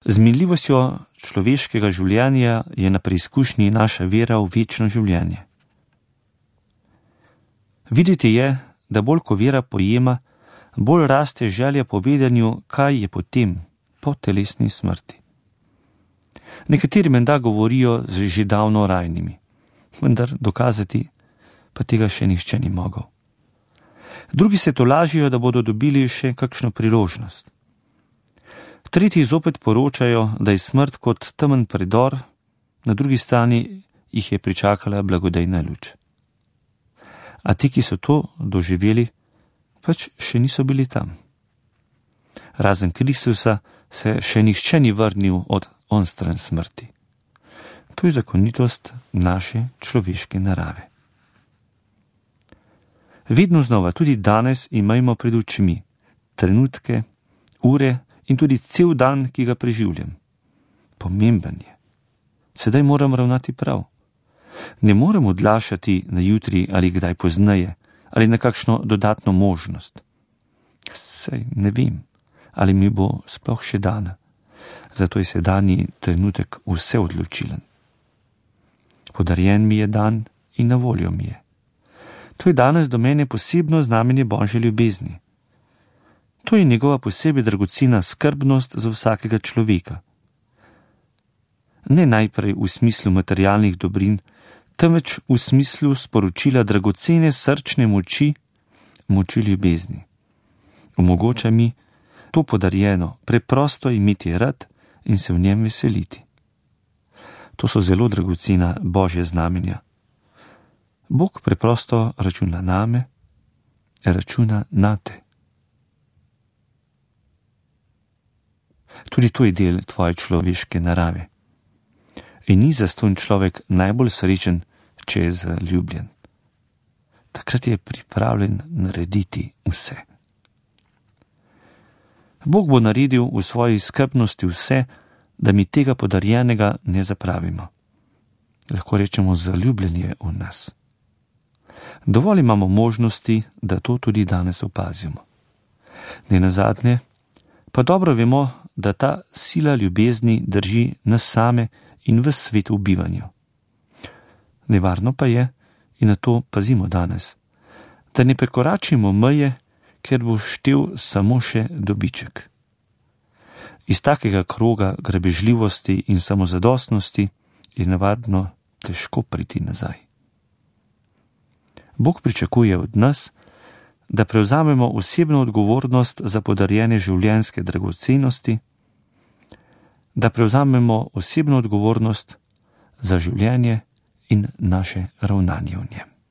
Z minljivostjo človeškega življenja je na preizkušnji naša vera v večno življenje. Videti je, da bolj ko vera pojema, bolj raste želja po vedenju, kaj je potem, po telesni smrti. Nekateri menda govorijo z že davno rajnimi, vendar dokazati pa tega še nihče ni mogel. Drugi se tolažijo, da bodo dobili še kakšno priložnost. Tretji zopet poročajo, da je smrt kot temen predor, na drugi strani jih je pričakala blagodejna luč. A ti, ki so to doživeli, pač še niso bili tam. Razen Kristusa se še nihče ni vrnil od onstran smrti. To je zakonitost naše človeške narave. Vedno znova, tudi danes, imajmo pred očmi trenutke, ure in tudi cel dan, ki ga preživljam. Pomemben je. Sedaj moram ravnati prav. Ne morem odlašati na jutri ali kdaj pozneje, ali na kakšno dodatno možnost. Sej ne vem, ali mi bo sploh še dana. Zato je sedanji trenutek vse odločilen. Podarjen mi je dan in na voljo mi je. To je danes do mene posebno znamenje Božje ljubezni. To je njegova posebej dragocena skrbnost za vsakega človeka. Ne najprej v smislu materialnih dobrin, temveč v smislu sporočila dragocene srčne moči, moči ljubezni. Omogoča mi to podarjeno, preprosto imeti rad in se v njem veseliti. To so zelo dragocena Božja znamenja. Bog preprosto računa name, računa nate. Tudi to je del tvoje človeške narave. In ni zastonj človek najbolj srečen, če je zaljubljen. Takrat je pripravljen narediti vse. Bog bo naredil v svoji skrbnosti vse, da mi tega podarjenega ne zapravimo. Lahko rečemo, zaljubljen je v nas. Dovolj imamo možnosti, da to tudi danes opazimo. Nenazadnje pa dobro vemo, da ta sila ljubezni drži nas same in ves svet v bivanju. Nevarno pa je, in na to pazimo danes, da ne prekoračimo meje, ker bo štel samo še dobiček. Iz takega kroga grabežljivosti in samozadostnosti je navadno težko priti nazaj. Bog pričakuje od nas, da prevzamemo osebno odgovornost za podarjene življenjske dragocenosti, da prevzamemo osebno odgovornost za življenje in naše ravnanje v njem.